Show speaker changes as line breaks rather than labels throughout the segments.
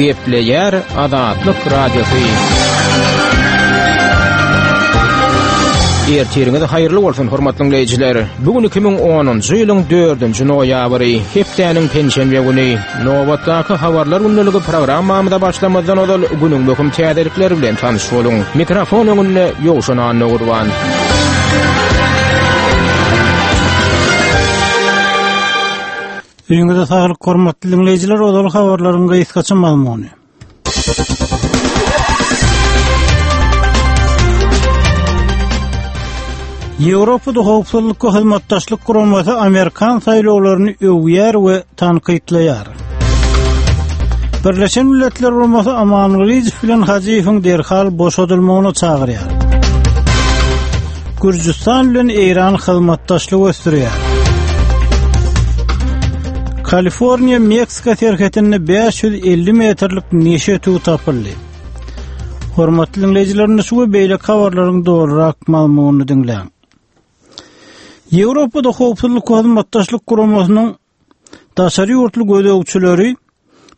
Gepleýär Azatlyk Radiosy. Ertiriňiz haýyrly bolsun, hormatly diňleýjiler. Bu gün 2010-njy ýylyň 4-nji noýabry, hepdäniň penşenbe güni. Nobatdaky habarlar gündeligi programmamyza başlamazdan ozal günüň möhüm täzelikleri bilen tanyş boluň. Mikrofon öňünde Ýowşan Annagurban.
Öýüňize saglyk hormatly diňleýjiler, ozal habarlaryň gysgaça mazmuny. Ýewropada howpsuzlyk we hyzmatdaşlyk guramasy amerikan saýlawlaryny öwýär we tankytlaýar. Birleşen Milletler Guramasy Aman Gylyjow bilen Hajyýewiň derhal boşadylmagyna çagyrýar. Gürjüstan bilen Eýran hyzmatdaşlyk ösdürýär. Kaliforniýa Meksika serhetinde 550 metrlik neşe ötügi tapyldy. Hormatly diňleýjiler, şu we beýleki habarlaryň dolurak mazmunyny diňläň. Ýewropada howpsuzlyk we hyzmatdaşlyk guramasynyň Daşary ýurtly gözegçileri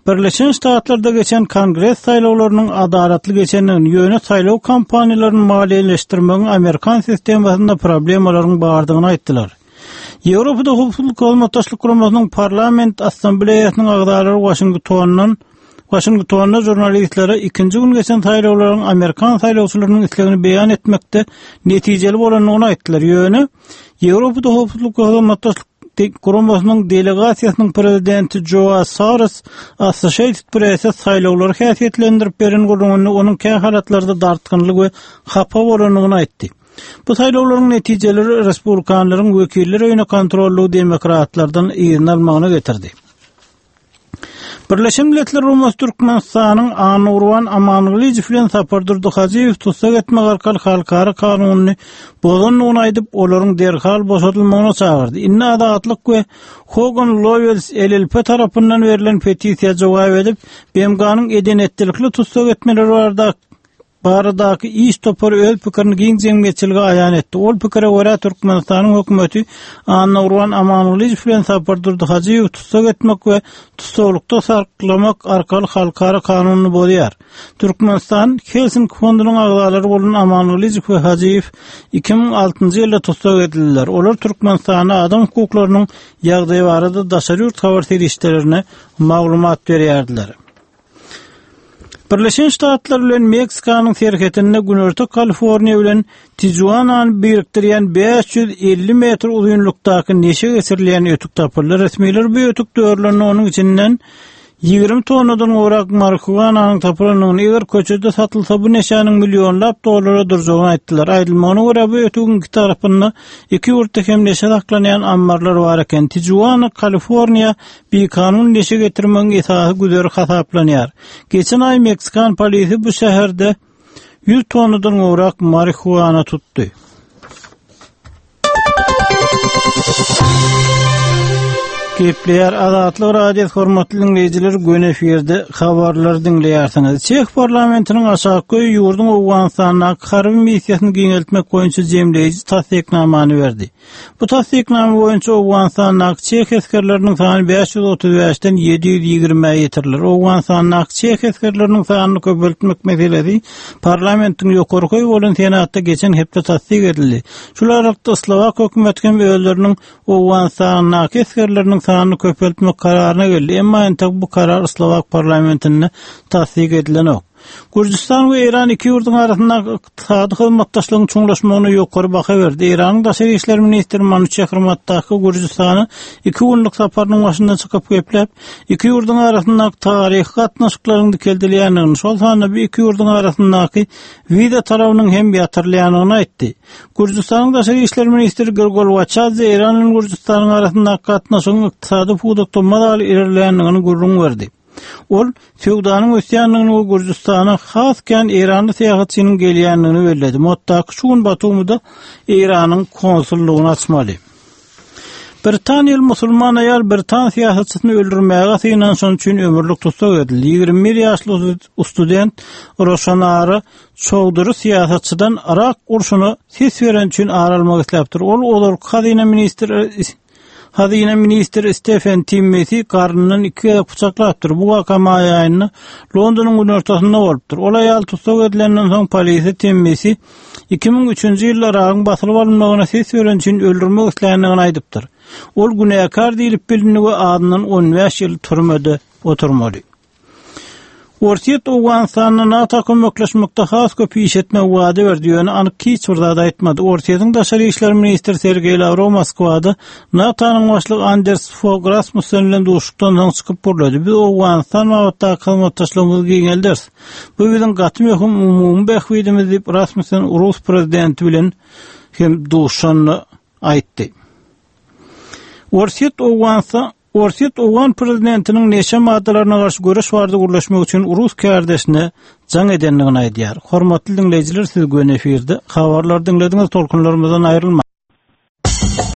Birleşen Ştatlarda geçen Kongres saýlawlarynyň adalatly geçendigini, ýöne saýlaw kampaniýalaryny maliýeleşdirmegiň amerikan sistemasynda problemalaryň bardygyny aýtdylar. Ýewropada Howpsuzlyk Hyzmatdaşlyk Guramasynyň Parlament Assambleýasynyň agzalary Waşingtondan Waşingtonda žurnalistlere ikinji gün geçen saýlawlaryň amerikan saýlawçylarynyň islegini beýan etmekde netijeli bolandygyny aýtdylar. Ýöne Ýewropada Howpsuzlyk we Hyzmatdaşlyk Guramasynyň delegasiýasynyň prezidenti Joa Sares Associated Press-e saýlawlary häsiýetlendirip beren gürrüňinde onuň kähalatlarda dartgynly we hapa bolandygyny aýtdy. Bu saýlawlaryň netijeleri respublikanlaryň wekiller öýüne kontrollygy demokratlardan yzyna almagyna getirdi. Birleşen Milletler Guramasy Türkmenistanyň Annagurban Amangylyjow bilen Sapardurdy Hajyýewi tussag etmek arkaly halkara kanunyny bozandygyny aýdyp, olaryň derhal boşadylmagyna çagyrdy. Indi Azatlyk we Hogan Lovells LLP tarapyndan berlen petisiýa jogap edip, BMG-niň eden-etdilikli tussag etmeleri barada baradaky iş topary öz pikirini giň jemgyýetçilige aýan etdi. Ol pikire görä, Türkmenistanyň hökümeti Annagurban Amangylyjow bilen Sapardurdy Hajyýewi tussag etmek we tussaglykda saklamak arkaly halkara kanunyny bozýar. Türkmenistan Helsinki fondunyň agzalary bolan Amangylyjow we Hajyýew 2006-njy ýylda tussag edildiler. Olar Türkmenistanda adam hukuklarynyň ýagdaýy barada daşary ýurt habar serişdelerine maglumat berýärdiler. Birleşen Ştatlar bilen Meksikanyň serhetinde Günorta Kaliforniýa bilen Tijuanany birikdirýän 550 metr uzynlykdaky neşe geçirilýän ötük tapyldy. Resmiler bu ötük dörlende onuň içinden 20 tonnadan gowrak marihuananyň tapylandygyny, eger köçede satylsa bu neşäniň millionlap dollara durjagyny aýtdylar. Aýdylmagyna görä, bu ötügiň iki tarapynda iki ýurtda hem neşe saklanýan ammarlar bar eken. Tijuana, Kaliforniýa bikanun neşe getirmegiň esasy güzeri hasaplanýar. Geçen aý meksikan polisi bu şäherde 100 tonnadan gowrak marihuana tutdy. Gepleýär Azatlyk Radiosy hormatly diňleýjiler göni efirde habarlary diňleýärsiňiz. Çeh parlamentiniň aşaky öýi ýurduň Owganystandaky harby missiýasyny giňeltmek boýunça jemleýji tassyknamany berdi. Bu tassyknama boýunça Owganystandaky çeh esgerleriniň sany 535-den 720-ä ýetiriler. Owganystandaky çeh esgerleriniň sanyny köpeltmek meselesi parlamentiň ýokarky öýi bolan Senatda geçen hepde tassyk edildi. Şul aralykda slowak hökümeti hem özleriniň Owganystandaky esgerleriniň sanyny köpeltmek kararyna geldi, emma entek bu karar slowak parlamentinde tassyk edilenok. Gürjüstan we Eýran iki ýurduň arasyndaky ykdysady hyzmatdaşlygyň çuňlaşmagyna ýokary baha berdi. Eýranyň daşary işler ministri Manuçehr Mottaki Gürjüstana iki günlük saparynyň başynda çykyp gepläp, iki ýurduň arasyndaky taryhy gatnaşyklaryň dikeldilýändigini, şol sanda bu iki ýurduň arasyndaky wiza talabynyň hem ýatyrylýandygyny aýtdy. Gürjüstanyň daşary işler ministri Grigol Waçadze Eýran bilen Gürjüstanyň arasyndaky gatnaşygyň ykdysady pudakda mazaly ilerleýändigini gürrüň berdi. Ol söwdanyň ösýändigini we Gürjüstana has kän eýranly syýahatçynyň gelýändigini belledi. Mottaki şu gün Batumyda Eýranyň konsullygyny açmaly. Britaniýaly musulman aýal britan syýasatçysyny öldürmäge synanyşany üçin ömürlik tussag edildi. 21 ýaşly student Roşanara Çowdury syýasatçydan Yrak urşuna ses bereni üçin ar almak isläpdir. Ol ozalky hazyna ministri. Hazyna ministri Stefen Timmesi garnyndan iki gezek pyçaklapdyr. Bu waka maý aýynda Londonyň günortasynda bolupdyr. Ol aýal tussag edilenden soň polisiýa Timmesi 2003-nji ýylda Yragyň basylyp alynmagyna ses bereni üçin öldürmek isländigini aýdypdyr. Ol günäkär diýlip bilindi we azyndan 15 ýyl türmede oturmaly. Orsýet Owganystanda NATO kömekleşmekde has köp iş etmegi wada berdi, ýöne anyk hiç bir zat aýtmady. Orsýetiň daşary işler ministri Sergeý Lawrow Moskwada NATO-nyň başlygy Anders Fog Rasmussen bilen duşuşykdan soň çykyp gürledi. Biz Owganystan babatdaky hyzmatdaşlygymyzy giňelderis. Bu biziň gaty möhüm umumy bähbidimiz diýip, Rasmussen rus prezidenti bilen hem duşuşanda aýtdy. Orsýet Owganystan Orsýet owgan prezidentiniň neşe maddalaryna garşy göreş barada gürleşmek üçin rus kärdeşine jaň edendigini aýdýar. Hormatly diňleýjiler siz göni efirde habarlary diňlediňiz tolkunlarymyzdan aýrylmaň.